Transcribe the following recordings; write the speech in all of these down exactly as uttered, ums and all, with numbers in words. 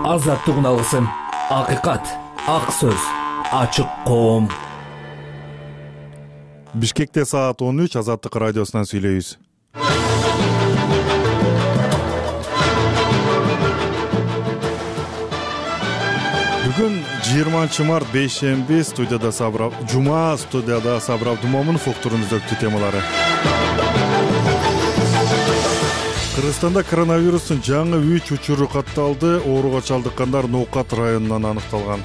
Азаттыгын алгысың. Акыйкат, ак сөз, ачык коом. Бишкекте саат он үч, Азаттык радиосунан сүйлөйбүз. Бүгүн жыйырманчы март бейшемби, студияда Сабыр, жума студияда Сабыр Абдумомунов уктурун өзөктүү темалары. Кыргызстанда коронавирустун жаңы үч учуру катталды. Ооруга чалдыккандар Ноокат районунан аныкталган.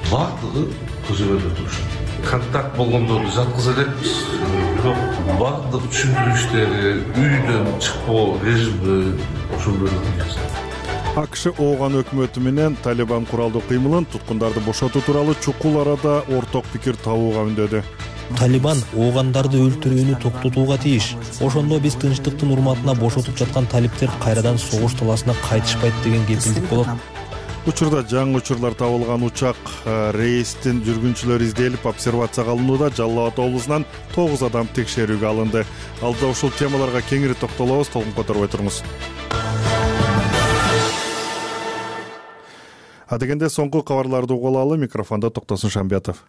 Бардыгы көзөмөлдө турушат. Контакт болгондорду жаткыза элекпиз. Бирок бардык түшүндүрүштөрү, үйдөн чыкпоо режими ошондой эле. АКШ Ооган өкмөтү менен Талибан куралдуу кыймылын, туткундарды бошотуу тууралуу чукул арада орток пикир табууга үндөдү. Талибан оогандарды өлтүрүүнү токтотууга тийиш. Ошондо биз тынчтыктын урматына бошотуп жаткан талиптер кайрадан согуш таласына кайтышпайт деген кепилдик болот. Учурда жаңы учурлар табылган учак рейстин жүргүнчүлөрү изделип, обсервацияга алынууда. Жалал Абад облусунан тогуз адам текшерүүгө алынды. Алда ушул темаларга кеңири токтолобуз, толкун которбой туруңуз. Адегенде соңку кабарларды угуп алалы. Микрофондо Токтосун Шамбиятов.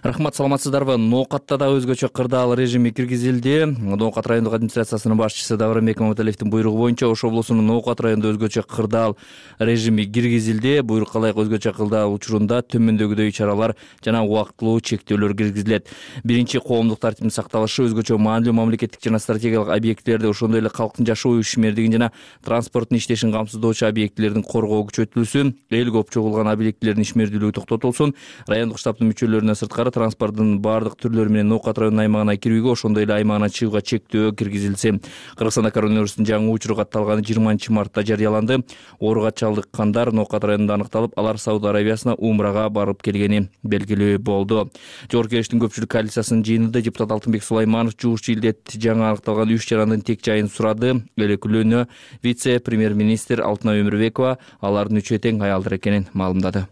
Рахмат, саламатсыздарбы? Ноокатта да өзгөчө кырдаал режими киргизилди. Ноокат райондук администрациясынын башчысы Давырбек Маматалиевдин буйругу боюнча Ош облусунун Ноокат районунда өзгөчө кырдаал режими киргизилди. Буйрукка ылайык өзгөчө кырдаал учурунда төмөндөгүдөй чаралар жана убактылуу чектөөлөр киргизилет. Биринчи, коомдук тартиптин сакталышы, өзгөчө маанилүү мамлекеттик жана стратегиялык объектилерди, ошондой эле калктын жашоо ишмердигин жана транспорттун иштешин камсыздоочу объектилердин коргоо күчөтүлсүн. Эл көп чогулган объектилердин ишмердүүлүгү токтотулсун. Райондук штабтын мүчөлөрүнө сырткары транспорттун бардык түрлөрү менен Ноокат районунун аймагына кирүүгө, ошондой эле аймагына чыгууга чектөө киргизилсе. Кыргызстанда коронавирустун жаңы учуру катталганы жыйырманчы мартта жарыяланды. Ооруга чалдыккандар Ноокат районунда аныкталып, алар Сауд Арабиясына умрага барып келгени белгилүү болду. Жогорку Кеңештин көпчүлүк коалициясынын жыйынында депутат Алтынбек Сулайманов жугуш илдет жаңы аныкталган үч жарандын тек жайын сурады. Элеклөөнө вице-премьер-министр Алтынай Өмүрбекова алардын үчөө тең аялдар экенин маалымдады.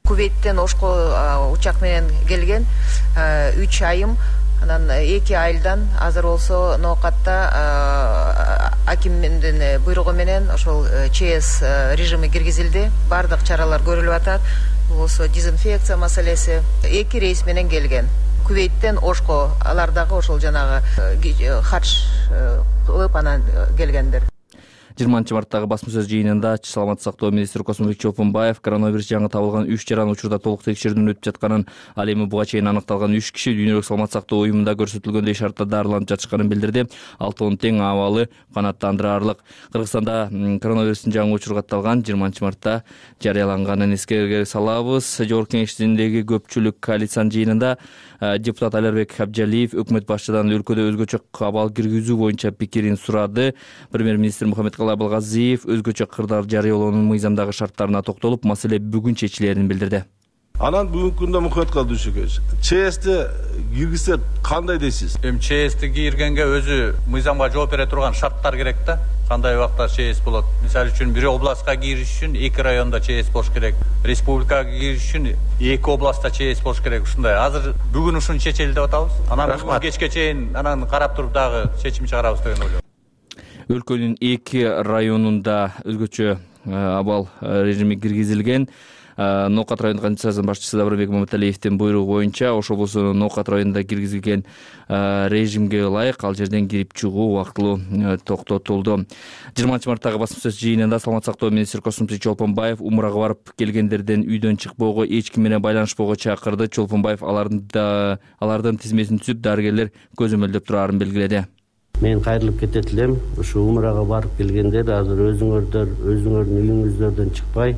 Кувейттен Ошко учак менен келген үч айым, анан эки айылдан азыр болсо Ноокатта акимдин буйругу менен ошол ЧС режими киргизилди. Бардык чаралар көрүлүп атат. Болсо дезинфекция маселеси. Эки рейс менен келген. Кувейттен Ошко, алар дагы ошол жанагы хадж кылып анан келгендер. жыйырманчы марттагы басма сөз жыйынында саламаттык сактоо министри Космобек Чолпонбаев коронавирус жаңы табылган үч жаран учурда толук текшерүүдөн өтүп жатканын, ал эми буга чейин аныкталган үч киши дүйнөлүк саламаттык сактоо уюмунда көрсөтүлгөндөй шартта дарыланып жатышканын билдирди. Алтоонун тең абалы канааттандырарлык. Кыргызстанда коронавирустун жаңы учуру катталган жыйырманчы мартта жарыяланганын эскерге салабыз. Жогорку Кеңештиндеги көпчүлүк коалициянын жыйынында депутат Алербек Абжалиев өкмөт башчыдан өлкөдө өзгөчө абал киргизүү боюнча пикирин сурады. Премьер-министр Мухаммед Абылгазиев өзгөчө кырдаал жарыялоонун мыйзамдагы шарттарына токтолуп, маселе бүгүн чечилерин билдирди. Анан бүгүнкү күндө Мухаммед Калдышевич, ЧСти киргизсе кандай дейсиз? Эми ЧСти киргенге өзү мыйзамга жооп бере турган шарттар керек да. Кандай убакта ЧС болот? Мисалы үчүн бир областка кириш үчүн эки райондо ЧС болуш керек. Республикага кириш үчүн эки областта ЧС болуш керек. Ушундай. Азыр бүгүн ушуну чечели деп атабыз. Анан бүгүн кечке чейин анан карап туруп дагы чечим чыгарабыз деген ойлойм. Өлкөнүн эки районунда өзгөчө абал режими киргизилген. Ноокат райондук администрациянын башчысы Давырбек Маматалиевдин буйругу боюнча Ош облусунун Ноокат районунда киргизилген режимге ылайык ал жерден кирип чыгуу убактылуу токтотулду. жыйырманчы марттагы басма сөз жыйынында саламаттык сактоо министри Космобек Чолпонбаев умрага барып келгендерден үйдөн чыкпоого, эч ким менен байланышпоого чакырды. Чолпонбаев алардын алардын тизмесин түзүп, дарыгерлер көзөмөлдөп турарын белгиледи. Мен кайрылып кетет элем. Ушу умрага барып келгендер азыр өзүңөрдөр өзүңөрдүн үйүңүздөрдөн чыкпай,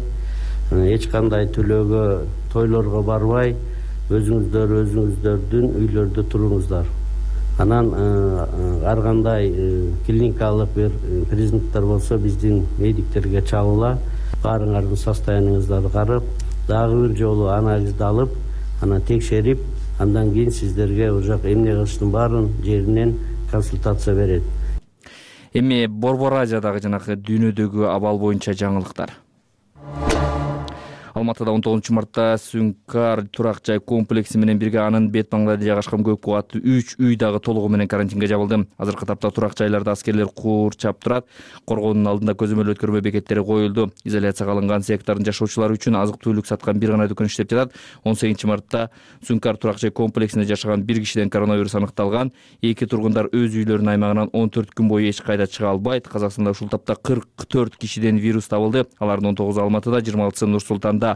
эч кандай төлөөгө, тойлорго барбай, өзүңүздөр өзүңүздөрдүн үйлөрдө туруңуздар. Анан ар кандай клиникалык бир признактар болсо биздин медиктерге чалыла, баарыңардын состояниеңиздарды карап, дагы бир жолу анализди алып, анан текшерип, андан кийин сиздерге уже эмне кылыштын баарын жеринен консультация берет. Эми Борбор Азиядагы жанагы дүйнөдөгү абал боюнча жаңылыктар. Алматыда он тогузунчу мартта Сүнкар турак жай комплекси менен бирге анын бет маңдайында жайгашкан көп кубаттуу үч үй дагы толугу менен карантинге жабылды. Азыркы тапта турак жайларда аскерлер курчап турат. Коргоонун алдында көзөмөл өткөрмө бекеттери коюлду. Изоляцияга алынган сектордун жашоочулары үчүн азык-түлүк саткан бир гана дүкөн иштеп жатат. он сегизинчи мартта Сүнкар турак жай комплексинде жашаган бир кишиден коронавирус аныкталган. Эки тургундар өз үйлөрүнүн аймагынан он төрт күн бою эч кайда чыга албайт. Казакстанда ушул тапта кырк төрт кишиден вирус табылды. Алардын он тогузу Алматыда, жыйырма алтысы Нур-Султанда.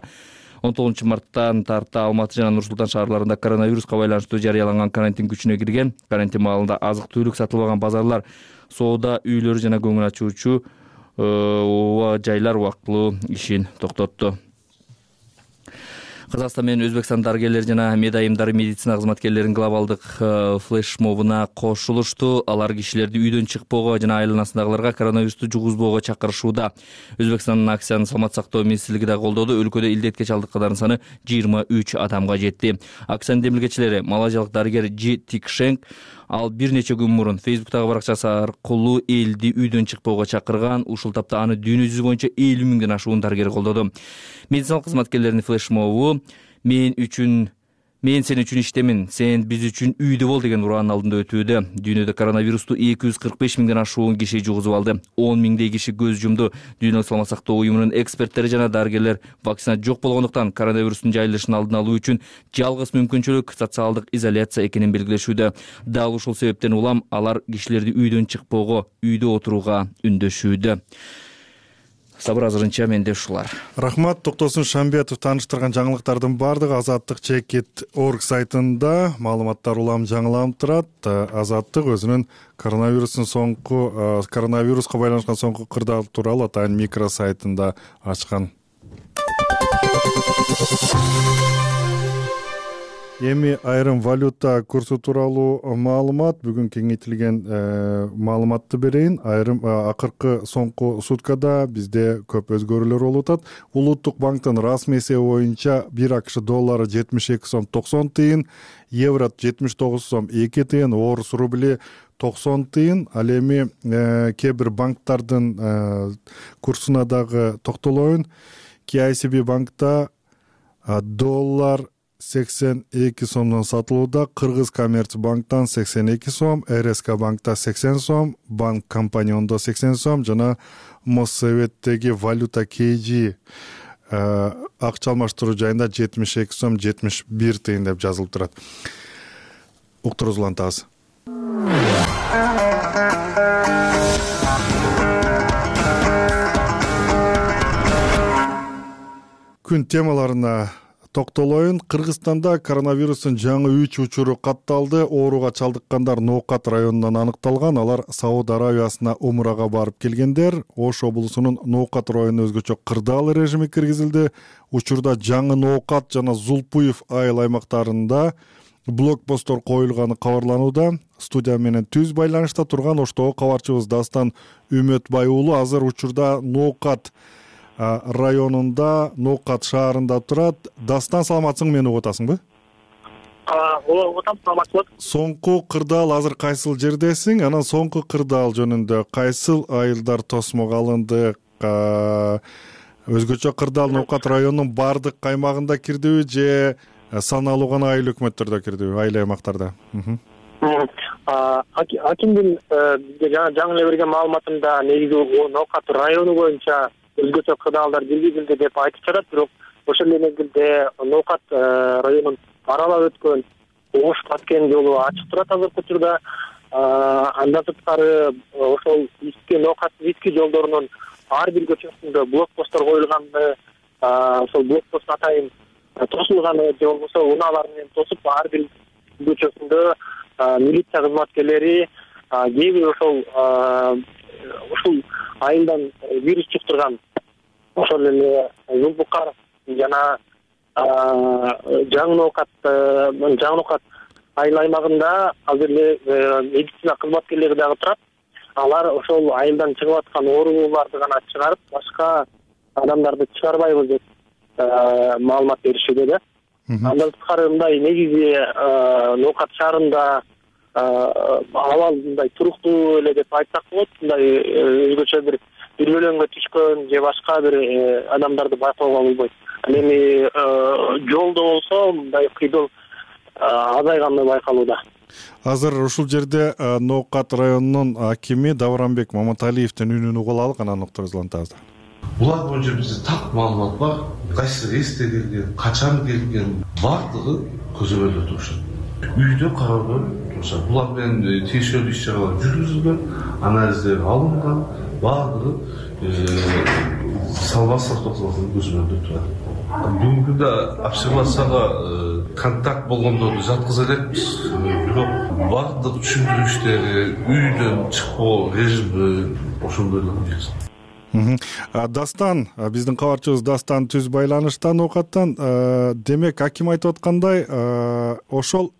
он тогузунчу марттан тарта Алматы жана Нур-Султан шаарларында коронавируска байланыштуу жарыяланган карантин күчүнө кирген. Карантин маалында азык-түлүк сатылбаган базарлар, соода үйлөрү жана көңүл ачуучу жайлар убактылуу ишин токтотту. Казакстан менен Өзбекстан дарыгерлери жана медайымдары медицина кызматкерлеринин глобалдык флешмобуна кошулушту. Алар кишилерди үйдөн чыкпоого жана айланасындагыларга коронавирусту жугузбоого чакырышууда. Өзбекстандын акциянын саламат сактоо министрлиги да колдоду. Өлкөдө илдетке чалдыккандардын саны жыйырма үч адамга жетти. Акциянын демилгечилери малайзиялык дарыгер Джи Тикшенг ал бир нече күн мурун Фейсбуктагы баракчасы аркылуу элди үйдөн чыкпоого чакырган. Ушул тапта аны дүйнө жүзү боюнча элүү миңден ашуун дарыгер колдоду. Медициналык кызматкерлердин флешмобу мен үчүн мен сен үчүн иштемин, сен биз үчүн үйдө бол деген ураанын алдында өтүүдө. Дүйнөдө коронавирусту эки жүз кырк беш миңден ашуун киши жугузуп алды. он миңдей киши көз жумду. Дүйнөлүк саламат сактоо уюмунун эксперттери жана дарыгерлер вакцина жок болгондуктан коронавирустун жайылышын алдын алуу үчүн жалгыз мүмкүнчүлүк социалдык изоляция экенин белгилешүүдө. Дал ушул себептен улам алар кишилерди үйдөн чыкпоого, үйдө отурууга үндөшүүдө. Сабыр азырынча менде ушулар. Рахмат. Токтосун Шамбетов тааныштырган жаңылыктардын баардыгы Азаттык чекит точка орг сайтында маалыматтар улам жаңыланып турат. Азаттык өзүнүн коронавирустун соңку коронавируска байланышкан соңку кырдаал тууралуу атайын микросайтында ачкан. Эми айрым валюта курсу тууралуу маалымат, бүгүн кеңейтилген маалыматты берейин. Айрым акыркы соңку суткада бизде көп өзгөрүүлөр болуп атат. Улуттук банктын расмий эсеби боюнча бир АКШ доллары жетимиш эки сом токсон тыйын, евро жетимиш тогуз сом эки тыйын, орус рубли токсон тыйын. Ал эми кээ бир банктардын курсуна дагы токтолоюн. Кей Ай Си Би банкта доллар сексен эки сомдон сатылууда, Кыргыз Коммерцбанктан сексен эки сом, Эр Эс К банкта сексен сом, Банк Компаниондо сексен сом жана Моссоветтеги валюта Кей Жи акча алмаштыруу жайында жетимиш эки сом жетимиш бир тыйын деп жазылып турат. Уктуруңузду улантабыз. Күн темаларына токтолоюн. Кыргызстанда коронавирустун жаңы үч учуру катталды. Ооруга чалдыккандар Ноокат районунан аныкталган. Алар Сауд Аравиясына умрага барып келгендер. Ош облусунун Ноокат районуна өзгөчө кырдаал режими киргизилди. Учурда жаңы Ноокат жана Зулпуев айыл аймактарында блокпосттор коюлганы кабарланууда. Студия менен түз байланышта турган Оштогу кабарчыбыз Дастан Үмөтбай уулу азыр учурда Ноокат районунда, Ноокат шаарында турат. Дастан, саламатсың, мени угуп атасыңбы? Угуп атам, саламатсызбы? Соңку кырдаал азыр кайсыл жердесиң? Анан соңку кырдаал жөнүндө кайсыл айылдар тосмого алынды? Өзгөчө кырдаал Ноокат районунун бардык аймагында кирдиби же саналуу гана айыл өкмөттөрдө кирдиби, айыл аймактарда? Акимдин бизге жаңы эле берген маалыматында негизи Ноокат району боюнча өзгөчө кырдаалдар киргизилди деп айтып жатат, бирок ошол эле мезгилде Ноокат районун аралап өткөн Ош Баткен жолу ачык турат азыркы учурда. Андан сырткары ошол Иске Ноокат Иске жолдорунун ар бир көчөсүндө блокпосттор коюлганы, ошол блокпост атайын тосулганы же болбосо унаалар менен тосуп ар бир көчөсүндө милиция кызматкерлери кээ бир ошол ушул айылдан вирус чуктурган ошол эле Зулпукар жана жаңы Ноокат жаңы Ноокат айыл аймагында азыр эле медицина кызматкерлери дагы турат. Алар ошол айылдан чыгып аткан оорулууларды гана чыгарып, башка адамдарды чыгарбайбыз деп маалымат беришүүдө да. Андан сырткары мындай негизи Ноокат шаарында абал мындай туруктуу эле деп айтсак болот. Мындай өзгөчө бир бир бөлөңгө түшкөн же башка бир адамдарды байкоого болбойт. ал эми жолдо болсо мындай кыйдоо азайганы байкалууда. Азыр ушул жерде Ноокат районунун акими Давранбек Маматалиевдин үнүн угуп алалык, анан уктурубузду улантабыз. Булар боюнча бизде так маалымат бар. Кайсы рейсте келген, качан келген, бардыгы көзөмөлдө турушат. Үйдө кароодо турушат. Булар менен тиешелүү иш чаралар жүргүзүлгөн, анализдер алынган, бардыгы салбастык токтолгон көзөмөлдө турат. Бүгүнкү күндө обсервацияга контакт болгондорду жаткыза элекпиз, бирок бардык түшүндүрүү иштери, үйдөн чыкпоо режими ошондойлорду жүргүзөт. Дастан, биздин кабарчыбыз Дастан түз байланышта Ноокаттан. Демек, аким айтып аткандай, ошол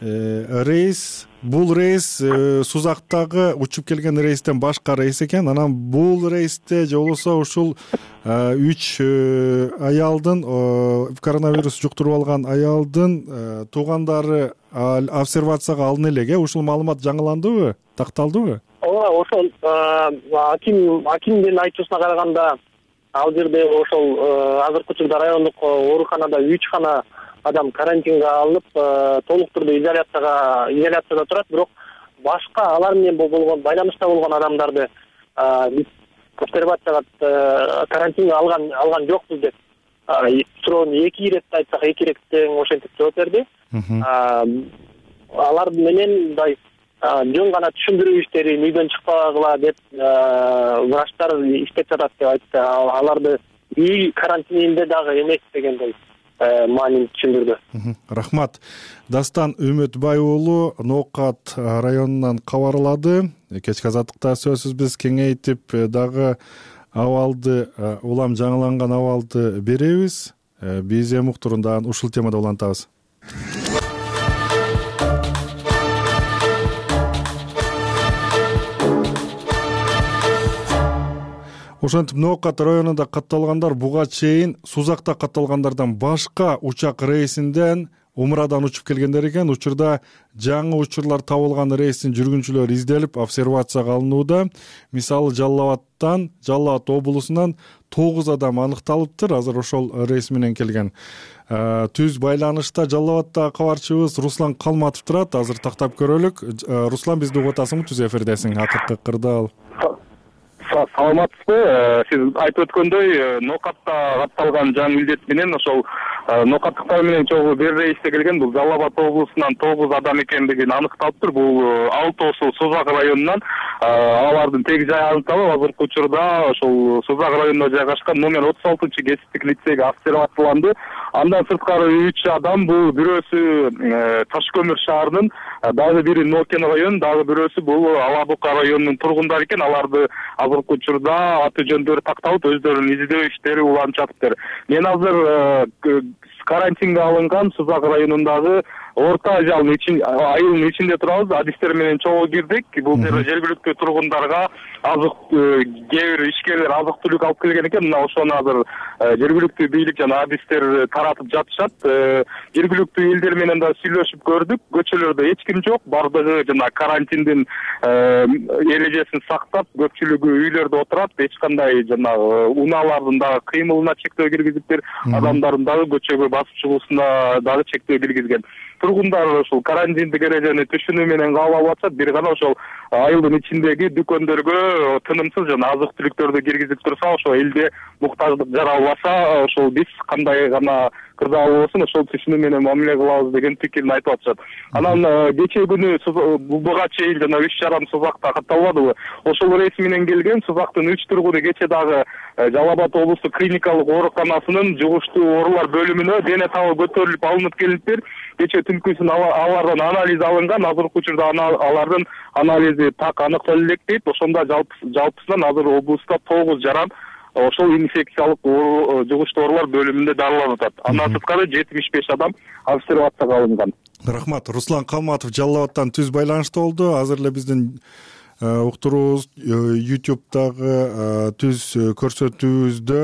рейс, бул рейс Сузактагы учуп келген рейстен башка рейс экен. Анан бул рейсте же болбосо ушул үч аялдын, коронавирус жуктуруп алган аялдын туугандары обсервацияга алына элек. Ушул маалымат жаңыландыбы, такталдыбы? Ооба, ошол аким акимдин айтуусуна караганда, ал жерде ошол азыркы учурда райондук ооруканада үч гана адам карантинге алынып, толук түрдө изоляцияга изоляцияда турат, бирок башка алар менен болгон байланышта болгон адамдарды биз обсервацияга карантинге алган алган жокпуз деп суроону эки ирет айтсак, эки ирет тең ошентип жооп берди. Алар менен мындай жөн гана түшүндүрүү иштерин үйдөн чыкпагыла деп врачтар иштеп жатат деп айтты. Аларды үй карантининде дагы эмес дегендей маанин түшүндүрдү. Рахмат. Дастан Үмүтбай уулу Ноокат районунан кабарлады. Кечки азаттыкта сөзсүз биз кеңейтип дагы абалды, улам жаңыланган абалды беребиз. Биз эми уктурунда ушул темада улантабыз. Ошентип Ноокат районунда катталгандар буга чейин Сузакта катталгандардан башка учак рейсинден Умрадан учуп келгендер экен. Учурда жаңы учурлар табылган рейстин жүргүнчүлөрү изделип, обсервацияга алынууда. Мисалы Жалал Абадтан, Жалал Абад облусунан тогуз адам аныкталыптыр. Азыр ошол рейс менен келген. Түз байланышта Жалал Абадта кабарчыбыз Руслан Калматов турат. Азыр тактап көрөлүк. Руслан, бизди угуп атасыңбы? Түз эфирдесиң. Акыркы кырдаал. Саламатсызбы? Сиз айтып өткөндөй, Ноокатта катталган жаңы илдет менен ошол Ноокаттыктар менен чогуу бир рейсте келген бул Жалал Абад облусунан тогуз адам экендигин аныкталыптыр. Бул алтоосу Сузак районунан. Алардын теги жайы аныкталып, азыркы учурда ошол Сузак районунда жайгашкан номер отуз алтынчы кесиптик лицейге обсервацияланды. Андан сырткары үч адам, бул бирөөсү Таш көмүр шаарынын, дагы бири Нокен район, дагы бирөөсү бул Ала Бука районунун тургундары экен. Аларды азыркы учурда аты жөндөрү такталып, өздөрүнүн издөө иштери уланып жатыптыр. Мен азыр карантинге алынган Сузак районундагы орто ажалдын ичин айылдын ичинде турабыз. Адистер менен чогуу кирдик. Бул жерде жергиликтүү тургундарга азык кээ бир ишкерлер азык түлүк алып келген экен. Мына ошону азыр жергиликтүү бийлик жана адистер таратып жатышат. Жергиликтүү элдер менен да сүйлөшүп көрдүк. Көчөлөрдө эч ким жок. Бардыгы жана карантиндин эрежесин сактап, көпчүлүгү үйлөрдө отурат. Эч кандай жанагы унаалардын дагы кыймылына чектөө киргизиптир. Адамдардын дагы көчөгө басып чыгуусуна дагы чектөө киргизген. Тургундар ошол карантиндик эрежени түшүнүү менен кабыл алып атышат. Бир гана ошол айылдын ичиндеги дүкөндөргө тынымсыз жана азык түлүктөрдү киргизип турса, ошол элде муктаждык жаралбаса, ошол биз кандай гана кырдаал болсун ошол түшүнүү менен мамиле кылабыз деген пикирин айтып атышат. Анан кечээ күнү буга чейин жана үч жарым Сузакта катталбадыбы? Ошол рейс менен келген Сузактын үч тургуну кечээ дагы Жалал Абад облустук клиникалык ооруканасынын жугуштуу оорулар бөлүмүнө дене табы көтөрүлүп алынып келиптир. Кечээ түнкүсүн алардан анализ алынган. Азыркы учурда алардын анализи так аныктала элек дейт. Ошондо жалпысынан азыр облуста тогуз жаран ошол инфекциялык жугуштуу оорулар бөлүмүндө дарыланып атат. Андан сырткары жетимиш беш адам обсервацияга алынган. Рахмат. Руслан Калматов Жалал Абадтан түз байланышта болду. Азыр эле биздин уктуруубуз YouTube'дагы түз көрсөтүүбүздө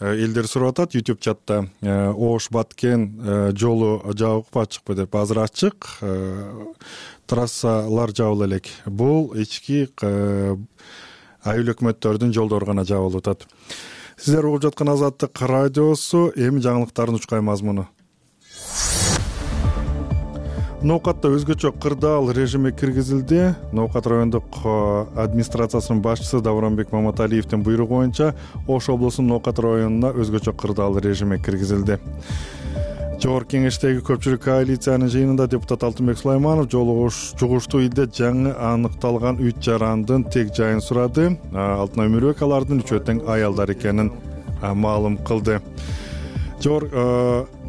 элдер сурап атат. YouTube чатта Ош Баткен жолу жабыкпы ачыкпы деп. Азыр ачык. Трассалар жабыла элек. Бул ички айыл өкмөттөрдүн жолдору гана жабылып атат. Сиздер угуп жаткан Азаттык радиосу, эми жаңылыктардын учкай мазмуну. Ноокатта өзгөчө кырдаал режими киргизилди. Ноокат райондук администрациясынын башчысы Давранбек Маматалиевдин буйругу боюнча Ош облусунун Ноокат районуна өзгөчө кырдаал режими киргизилди. Жогорку кеңештеги көпчүлүк коалициянын жыйынында депутат Алтынбек Сулайманов жугуштуу үйдө жаңы аныкталган үч жарандын тег жайын сурады. Алтынай Өмүрбек алардын үчөө тең аялдар экенин маалым кылды.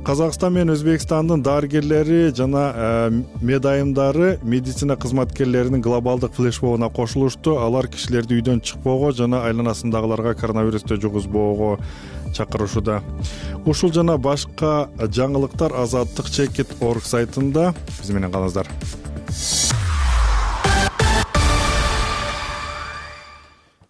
Казакстан менен Өзбекстандын дарыгерлери жана медайымдары медицина кызматкерлеринин глобалдык флешмобуна кошулушту. Алар кишилерди үйдөн чыкпоого жана айланасындагыларга коронавирусту жугузбоого чакырышууда. Ушул жана башка жаңылыктар Азаттык чекит точка орг сайтында. Биз менен калыңыздар.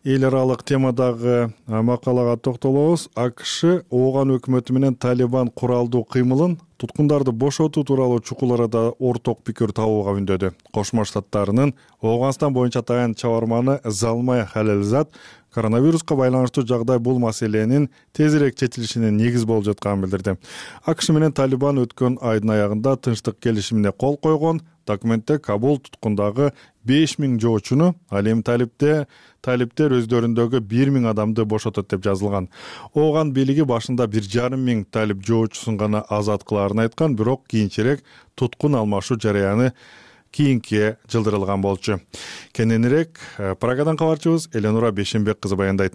Эл аралык темадагы макалага токтолобуз. АКШ Ооган өкмөтү менен Талибан куралдуу кыймылын туткундарды бошотуу тууралуу чукул арада орток пикир табууга үндөдү. Кошмо Штаттарынын Ооганстан боюнча таянч чабарманы Залмай Халилзад коронавируска байланыштуу жагдай бул маселенин тезирээк чечилишине негиз болуп жатканын билдирди. АКШ менен Талибан өткөн айдын аягында тынчтык келишимине кол койгон. Документте Кабул туткундагы беш миң жоочуну, ал эми Талипте талиптер өздөрүндөгү бир миң адамды бошотот деп жазылган. Ооган бийлиги башында бир жарым миң талип жоочусун гана азат кылаарын айткан, бирок кийинчерээк туткун алмашуу жараяны кийинке жылдырылган болчу. Кененирээк Прагадан кабарчыбыз Эленура Бешенбек кызы баяндайт.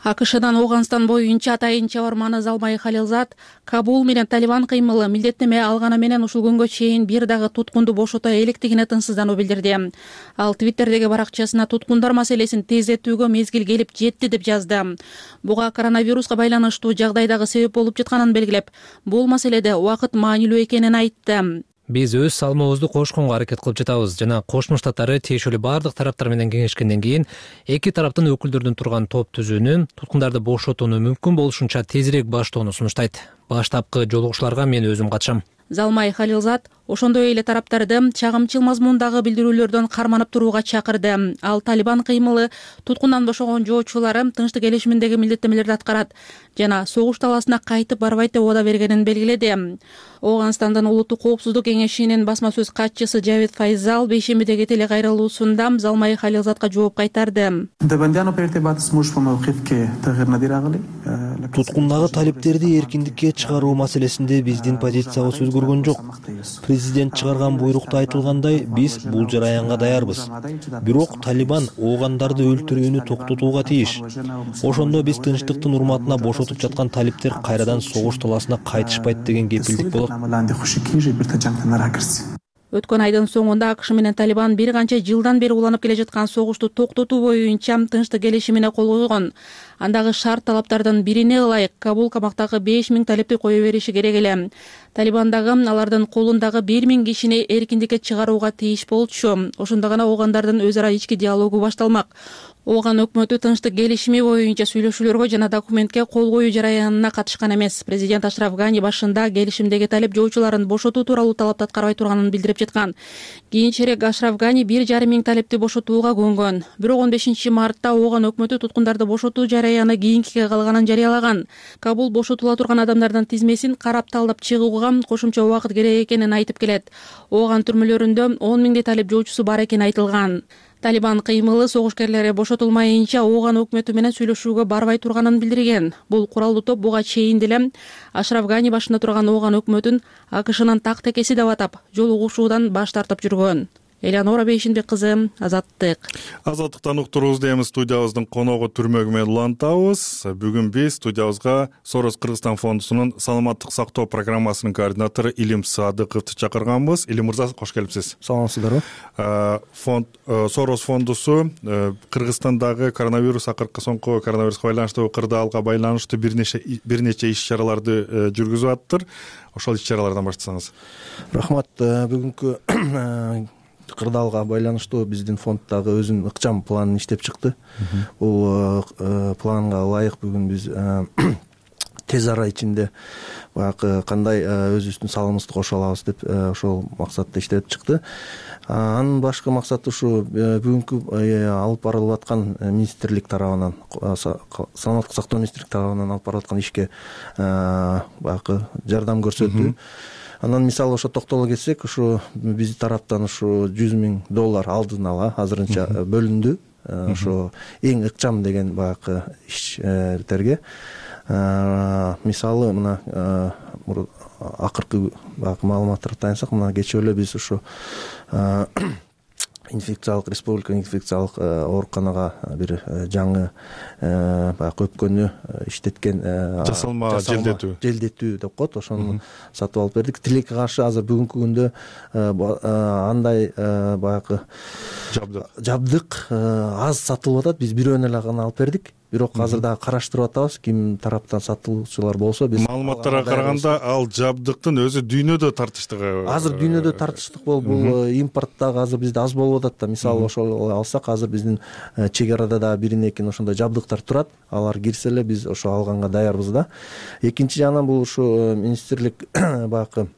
АКШдан Ооганстан боюнча атайын чабарманы Залмай Халилзад Кабул менен Талибан кыймылы милдеттеме алганы менен ушул күнгө чейин бир дагы туткунду бошото электигине тынчсыздануу билдирди. Ал Твиттердеги баракчасына туткундар маселесин тездетүүгө мезгил келип жетти деп жазды. Буга коронавируска байланыштуу жагдайдагы себеп болуп жатканын белгилеп, бул маселеде убакыт маанилүү экенин айтты. Биз өз салымыбызды кошконго аракет кылып жатабыз жана Кошмо Штаттары тиешелүү бардык тараптар менен кеңешкенден кийин эки тараптын өкүлдөрүнүн турган топ түзүүнү туткундарды бошотууну мүмкүн болушунча тезирээк баштоону сунуштайт. Баштапкы жолугушууларга мен өзүм катышам. Залмай Халилзад ошондой эле тараптарды чагымчыл мазмундагы билдирүүлөрдөн карманып турууга чакырды. Ал Талибан кыймылы туткундан бошогон жоочулары тынчтык келишиминдеги милдеттемелерди аткарат жана согуш талаасына кайтып барбайт деп убада бергенин белгиледи. Ооганстандын улуттук коопсуздук кеңешинин басма сөз катчысы Жавид Файзал бейшембидеги телекайрылуусунда Залмай Халилзадка жооп кайтарды. Туткундагы талиптерди эркиндикке чыгаруу маселесинде биздин позициябыз өзгөргөн жок. Президент чыгарган буйрукта айтылгандай, биз бул жараянга даярбыз. Бирок Талибан оогандарды өлтүрүүнү токтотууга тийиш. Ошондо биз тынчтыктын урматына бошотуп жаткан талиптер кайрадан согуш талаасына кайтышпайт деген кепилдик болот. Өткөн айдын соңунда АКШ менен Талибан бир канча жылдан бери уланып келе жаткан согушту токтотуу боюнча тынчтык келишимине кол койгон. Андагы шарт талаптардын бирине ылайык Кабул камактагы беш миң талипти кое бериши керек эле. Талибандагы алардын колундагы бир миң кишини эркиндикке чыгарууга тийиш болчу. Ошондо гана оогандардын өз ара ички диалогу башталмак. Ооган өкмөтү тынчтык келишими боюнча сүйлөшүүлөргө жана документке кол коюу жараянына катышкан эмес. Президент Ашраф Гани башында келишимдеги талип жоочуларын бошотуу тууралуу талапты аткарбай турганын билдирип жаткан. Кийинчерээк Ашраф Гани бир жарым миң талипти бошотууга көнгөн. Бирок он бешинчи мартта Ооган өкмөтү туткундарды бошотуу жараяны кийинкиге калганын жарыялаган. Кабул бошотула турган адамдардын тизмесин карап талдап чыгууга кошумча убакыт керек экенин айтып келет. Ооган түрмөлөрүндө он миңдей талип жоочусу бар экени айтылган. Талибан кыймылы согушкерлери бошотулмайынча Ооган өкмөтү менен сүйлөшүүгө барбай турганын билдирген. Бул куралдуу топ буга чейин деле Ашраф Гани башында турган Ооган өкмөтүн АКШнын так текеси деп атап, жолугушуудан баш тартып жүргөн. Эленура Бейшенбек кызы, Азаттык. Азаттыктан уктуруубуз дейм. Студиябыздын коногу Түрмөгү менен улантабыз. Бүгүн биз студиябызга Сорос Кыргызстан фондусунун саламаттык сактоо программасынын координатору Илим Садыковду чакырганбыз. Илим мырза, кош келипсиз. Саламатсыздарбы. Фонд Сорос фондусу Кыргызстандагы коронавирус акыркы соңку коронавируска байланыштуу кырдаалга байланыштуу бир нече бир нече иш-чараларды жүргүзүп аттыр. Ошол иш-чаралардан баштасаңыз. Рахмат. Бүгүнкү кырдаалга байланыштуу биздин фонд дагы өзүнүн ыкчам планын иштеп чыкты. Бул планга ылайык бүгүн биз тез ара ичинде баягы кандай өзүбүздүн салымыбызды кошо алабыз деп ошол максатта иштеп чыкты. Анын башкы максаты ушу бүгүнкү алып барылып аткан министрлик тарабынан, саламаттык сактоо министрлик тарабынан алып барылып аткан ишке баягы жардам көрсөтүү. Анан мисалы ошо токтоло кетсек, ушу биздин тараптан ушу жүз миң доллар алдын ала азырынча бөлүндү. Ошо эң ыкчам деген баягы иштерге. Мисалы мына акыркы баягы маалыматтарга таянсак, мына кечээ эле биз ушу инфекциялык республика инфекциялык ооруканага бир жаңы баягы өпкөнү иштеткен жасалма желдетүү желдетүү деп коет, ошону сатып алып бердик. Тилекке каршы азыр бүгүнкү күндө андай баягы жабдык жабдык аз сатылып атат. Биз бирөөнү эле гана алып бердик. Бирок азыр дагы караштырып атабыз, ким тараптан сатуучулар болсо биз маалыматтарга караганда ал жабдыктын өзү дүйнөдө тартыштык. Азыр дүйнөдө тартыштык болуп, бул импорт дагы азыр бизде аз болуп атат да. Мисалы ошол алсак, азыр биздин чек арада дагы бирин экин ошондой жабдыктар турат. Алар кирсе эле биз ошо алганга даярбыз да. Экинчи жагынан бул ушу министрлик баягы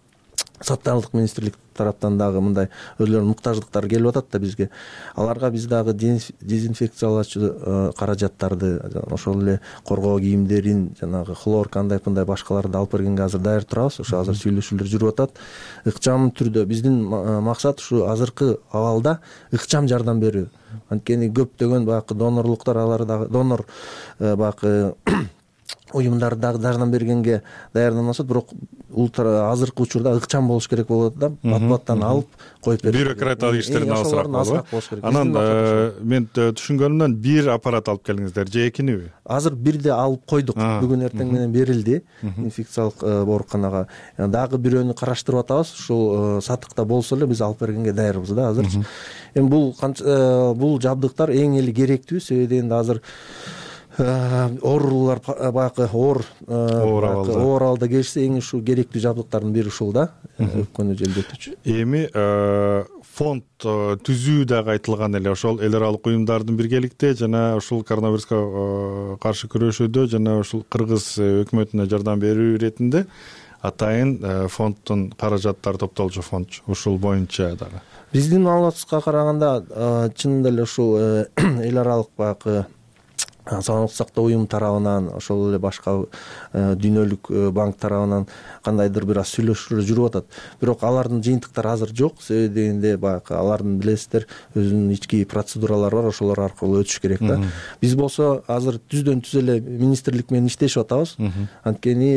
саттарлык министрлик тараптан дагы мындай өзлөрүнүн муктаждыктары келип атат да бизге. Аларга биз дагы дезинфекциялоочу каражаттарды, ошол эле коргоо кийимдерин, жанагы хлор кандай мындай башкаларды алып бергенге азыр даяр турабыз. Ошо азыр сүйлөшүүлөр жүрүп атат. Ыкчам түрдө биздин максат ушу азыркы абалда ыкчам жардам берүү. Анткени көптөгөн баягы донорлуктар, алар дагы донор баягы уюмдар дагы жардам бергенге даярданышат, бирок азыркы учурда ыкчам болуш керек болот да. Матбуаттан алып коюп берип, бюрократиялык иштерин азыраак болуш керек. Анан мен түшүнгөнүмдөн бир аппарат алып келдиңиздер же экиниби? Азыр бирди алып койдук. Бүгүн эртең менен берилди инфекциялык ооруканага. Дагы бирөөнү караштырып атабыз. Ушул сатыкта болсо эле биз алып бергенге даярбыз да азыр. Эми бул бул жабдыктар эң эле керектүү, себеби дегенде азыр оорулар баягы оор оор абалда келишсе эң ушу керектүү жабдыктардын бири ушул да, өпкөнү желдетүүчү. Эми фонд түзүү дагы айтылган эле, ошол эл аралык уюмдардын биргеликте жана ушул коронавируска каршы күрөшүүдө жана ушул кыргыз өкмөтүнө жардам берүү иретинде атайын фонддун каражаттары топтолчу фонд ушул боюнча дагы. Биздин маалыматыбызга караганда чынында эле ушул эл аралык баягы саламаттык сактоо уюму тарабынан, ошол эле башка дүйнөлүк банк тарабынан кандайдыр бир аз сүйлөшүүлөр жүрүп атат. Бирок алардын жыйынтыктары азыр жок, себеби дегенде баягы алардын билесиздер өзүнүн ички процедуралары бар, ошолор аркылуу өтүш керек да. Биз болсо азыр түздөн түз эле министрлик менен иштешип атабыз. Анткени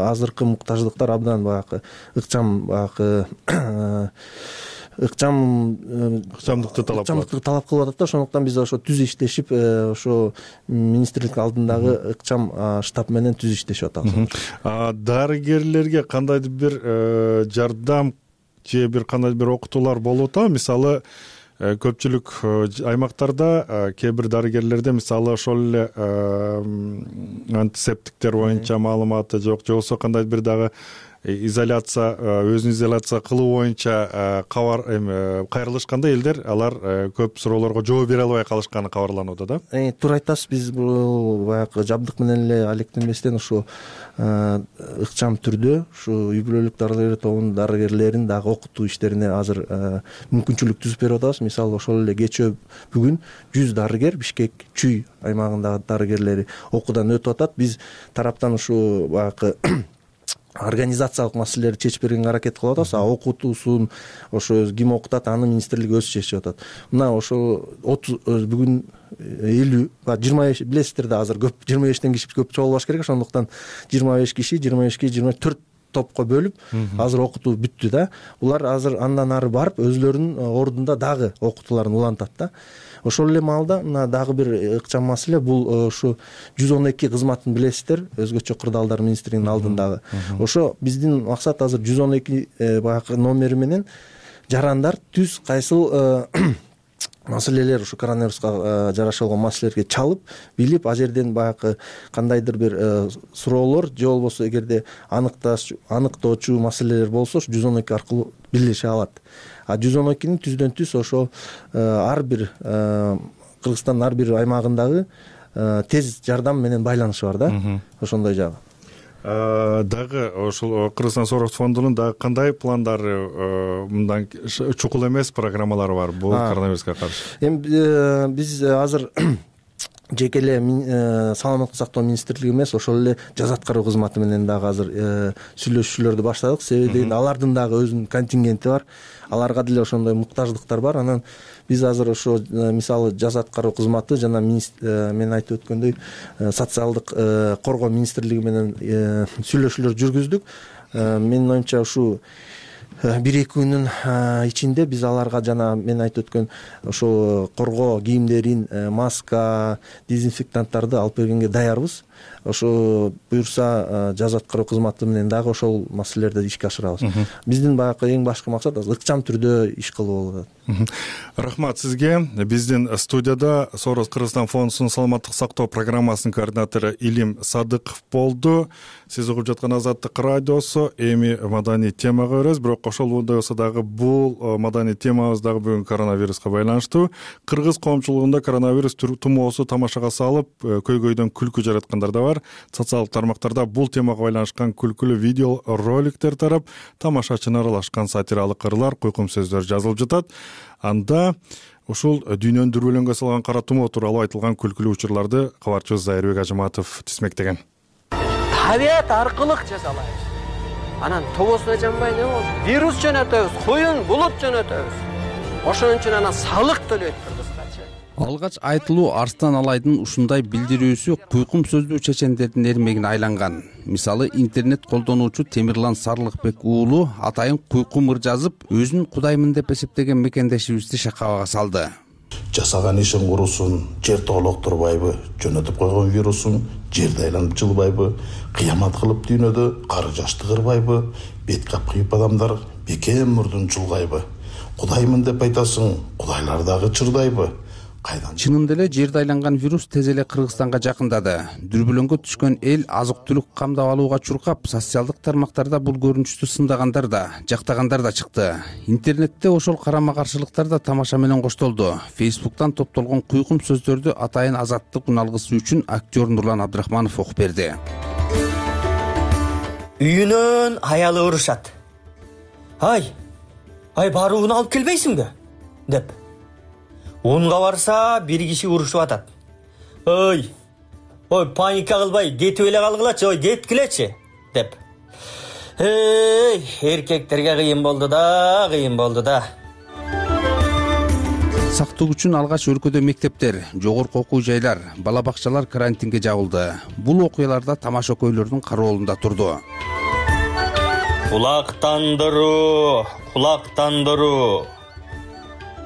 азыркы муктаждыктар абдан баягы ыкчам баягы ыкчам ыкчамдыкты талап ыкчамдыкты талап кылып атат да. Ошондуктан биз ошо түз иштешип, ошо министрлик алдындагы ыкчам штаб менен түз иштешип атабыз. Дарыгерлерге кандайдыр бир жардам же бир кандайдыр бир окутуулар болуп атабы? Мисалы көпчүлүк аймактарда кээ бир дарыгерлерде мисалы ошол эле антисептиктер боюнча маалыматы жок, же болбосо кандайдыр бир дагы изоляция, өзүн изоляция кылуу боюнча кабар кайрылышканда элдер алар көп суроолорго жооп бере албай калышканы кабарланууда да. Туура айтасыз, биз бул баягы жабдык менен эле алектенбестен ушу ыкчам түрдө ушу үй бүлөлүк дарыгерлер тобунун дарыгерлерин дагы окутуу иштерине азыр мүмкүнчүлүк түзүп берип атабыз. Мисалы ошол эле кечээ бүгүн жүз дарыгер Бишкек Чүй аймагындагы дарыгерлери окуудан өтүп атат. Биз тараптан ушу баягы организациялык маселелерди чечип бергенге аракет кылып атабыз. А окутуусун ошо ким окутат, аны министрлик өзү чечип атат. Мына ошо отуз бүгүн элүү жыйырма беш билесиздер да, азыр көп жыйырма бештен киши көп чогулбаш керек. Ошондуктан жыйырма беш киши жыйырма бешке жыйырма төрт топко бөлүп азыр окутуу бүттү да. Булар азыр андан ары барып өзлөрүнүн ордунда дагы окутууларын улантат да. Ошол эле маалда мына дагы бир ыкчам маселе, бул ушу жүз он эки кызматын билесиздер, өзгөчө кырдаалдар министрлигинин алдындагы. Ошо биздин максат азыр жүз он эки баягы номери менен жарандар түз кайсыл маселелер, ушу коронавируска жараша болгон маселелерге чалып, билип, а жерден баягы кандайдыр бир суроолор же болбосо эгерде аныкташ аныктоочу маселелер болсо жүз он эки аркылуу билдирише алат. А жүз он экинин түздөн түз ошо ар бир Кыргызстандын ар бир аймагындагы тез жардам менен байланышы бар да. Ошондой жагы. дагы ошол Кыргызстан Соорос фондунун дагы кандай пландары, мындан чукул эмес программалары бар бул коронавируска каршы? Эми биз азыр жеке эле саламаттык сактоо министрлиги эмес, ошол эле жаза аткаруу кызматы менен дагы азыр сүйлөшүүлөрдү баштадык. Себеби дегенде алардын дагы өзүнүн контингенти бар, аларга деле ошондой муктаждыктар бар. Анан биз азыр ошо мисалы жаза аткаруу кызматы жана мен айтып өткөндөй социалдык коргоо министрлиги менен сүйлөшүүлөр жүргүздүк. Менин оюмча ушу бир эки күндүн ичинде биз аларга жана мен айтып өткөн ошо коргоо кийимдерин, маска, дезинфектанттарды алып бергенге даярбыз. Ошо буюрса жаза аткаруу кызматы менен дагы ошол маселелерди ишке ашырабыз. Биздин баягы эң башкы максат ыкчам түрдө иш кылуу болот. Рахмат сизге. Биздин студияда Соорос Кыргызстан фондунун саламаттык сактоо программасынын координатору Илим Садыков болду. Сиз угуп жаткан Азаттык радиосу эми маданий темага өрөбүз, бирок ошолдой болсо дагы бул маданий темабыз дагы бүгүн коронавируска байланыштуу. Кыргыз коомчулугунда коронавирус тумоосу тамашага салып, көйгөйдөн күлкү жараткандар да бар. Социалдык тармактарда бул темага байланышкан күлкүлүү видео роликтер тарап, тамашачыны аралашкан сатиралык ырлар, куйкум сөздөр жазылып жатат. Анда ушул дүйнөнү дүрбөлөңгө салган кара тумоо тууралуу айтылган күлкүлүү учурларды кабарчыбыз Зайырбек Ажыматов тизмектеген. Табият аркылык жасалайбыз. Анан тобосуна жанбай не болду? Вирус жөнөтөбүз, куюн булут жөнөтөбүз. Ошон үчүн анан салык төлөйт кыргызча. Алгач айтылуу Арстан Алайдын ушундай билдирүүсү куйкум сөздүү чечендердин эрмегине айланган. Мисалы интернет колдонуучу Темирлан Сарлыкбек уулу атайын куйкум ыр жазып, өзүн кудаймын деп эсептеген мекендешибизди шакабага салды. Жасаган ишин курусун, жер тоолоктурбайбы, жөнөтүп койгон вирусун жерди айланып жылбайбы, кыямат кылып дүйнөдө кары жашты кырбайбы, бет капкыйып адамдар бекем мурдун чулгайбы. Кудаймын деп айтасың, кудайлар дагы чырдайбы? Чынында эле жерде айланган вирус тез эле Кыргызстанга жакындады. Дүрбөлөңгө түшкөн эл азык-түлүк камдап алууга чуркап, социалдык тармактарда бул көрүнүштү сындагандар да, жактагандар да чыкты. Интернетте ошол карама-каршылыктар да тамаша менен коштолду. Фейсбуктан топтолгон куйкум сөздөрдү атайын азаттык уналгысы үчүн актер Нурлан Абдрахманов окуп берди. Үйүнөн аялы урушат. Ай, ай барууну алып келбейсиңби? деп. Унга барса бир киши урушуп атат. Ой, ой паника кылбай, кетип эле калгылачы, ой кеткилечи деп. Эй, эркектерге кыйын болду да, кыйын болду да. Сактык үчүн алгач өлкөдө мектептер, жогорку окуу жайлар, бала бакчалар карантинге жабылды. Бул окуяларда тамаша көйлөрдүн кароолунда турду. Кулактандыруу, кулактандыруу.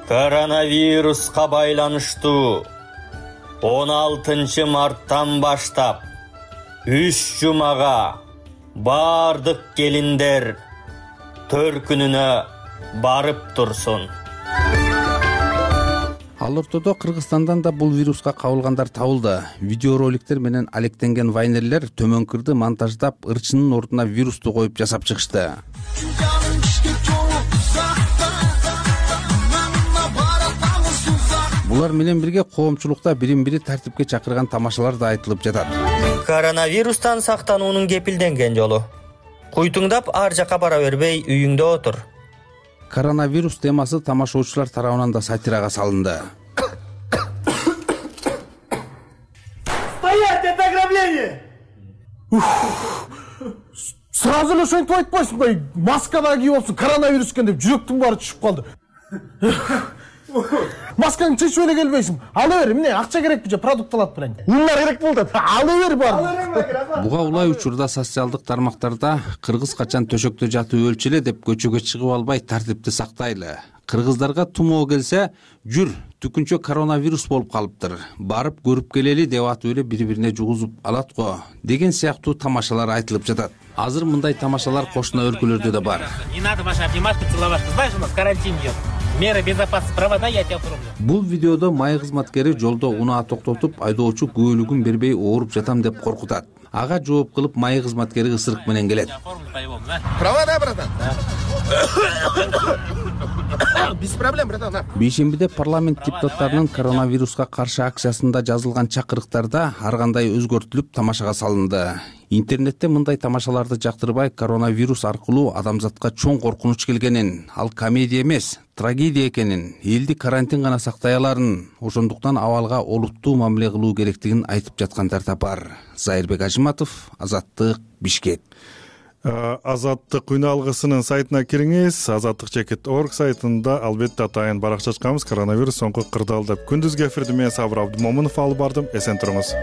Коронавируска байланыштуу он алтынчы марттан баштап үч жумага бардык келиндер төркүнүнө барып турсун. Ал ортодо Кыргызстандан да бул вируска кабылгандар табылды. Видеороликтер менен алектенген вайнерлер төмөнкүрдү монтаждап, ырчынын ордуна вирусту коюп жасап чыгышты. Булар менен бирге коомчулукта бирин-бири тартипке чакырган тамашалар да айтылып жатат. Коронавирустан сактануунун кепилденген жолу. Куйтуңдап ар жака бара бербей, үйүңдө отур. Коронавирус темасы тамашоочулар тарабынан да сатирага салынды. Стоять, это ограбление! Сразу эле ошентип айтпайсыңбы? Маска да кийип алыпсың, коронавирус экен деп жүрөктүн баары түшүп калды. Маскаңды чечип эле келбейсиң. Ала бер, эмне акча керекпи же продукт алат белең? Ундар керек болду. Ала бер бар. Буга улай учурда социалдык тармактарда кыргыз качан төшөктө жатып өлчү эле деп көчөгө чыгып албай тартипти сактайлы. Кыргыздарга тумоо келсе, жүр, түкүнчө коронавирус болуп калыптыр. Барып көрүп келели деп атып эле бири-бирине жугузуп алат го деген сыяктуу тамашалар айтылып жатат. Азыр мындай тамашалар кошуна өлкөлөрдө да бар. Не надо ваши обнимашки целовать. Ты знаешь, у нас карантин идет. Меры безопасности провода, я тебя оформлю. Бул видеодо май кызматкери жолдо унаа токтотуп, айдоочу күбөлүгүн бербей ооруп жатам деп коркутат. Ага жооп кылып май кызматкери ысырык менен келет. Провода, братан. Без проблем, братан. Бейшембиде парламент депутаттарынын коронавируска каршы акциясында жазылган чакырыктарда ар кандай өзгөртүлүп тамашага салынды. интернетте мындай тамашаларды жактырбай, коронавирус аркылуу адамзатка чоң коркунуч келгенин, ал комедия эмес, трагедия экенин, элди карантин гана сактай аларын, ошондуктан абалга олуттуу мамиле кылуу керектигин айтып жаткандар да бар. Зайырбек Ажиматов, Азаттык, Бишкек. Азаттык үн алгысынын сайтына кириңиз. азаттык чекит орг сайтында албетте атайын баракча ачканбыз. Коронавирус соңку кырдаал деп. Күндүзгү эфирди мен Сабыр Абдымомунов алып бардым. Эсен туруңуз.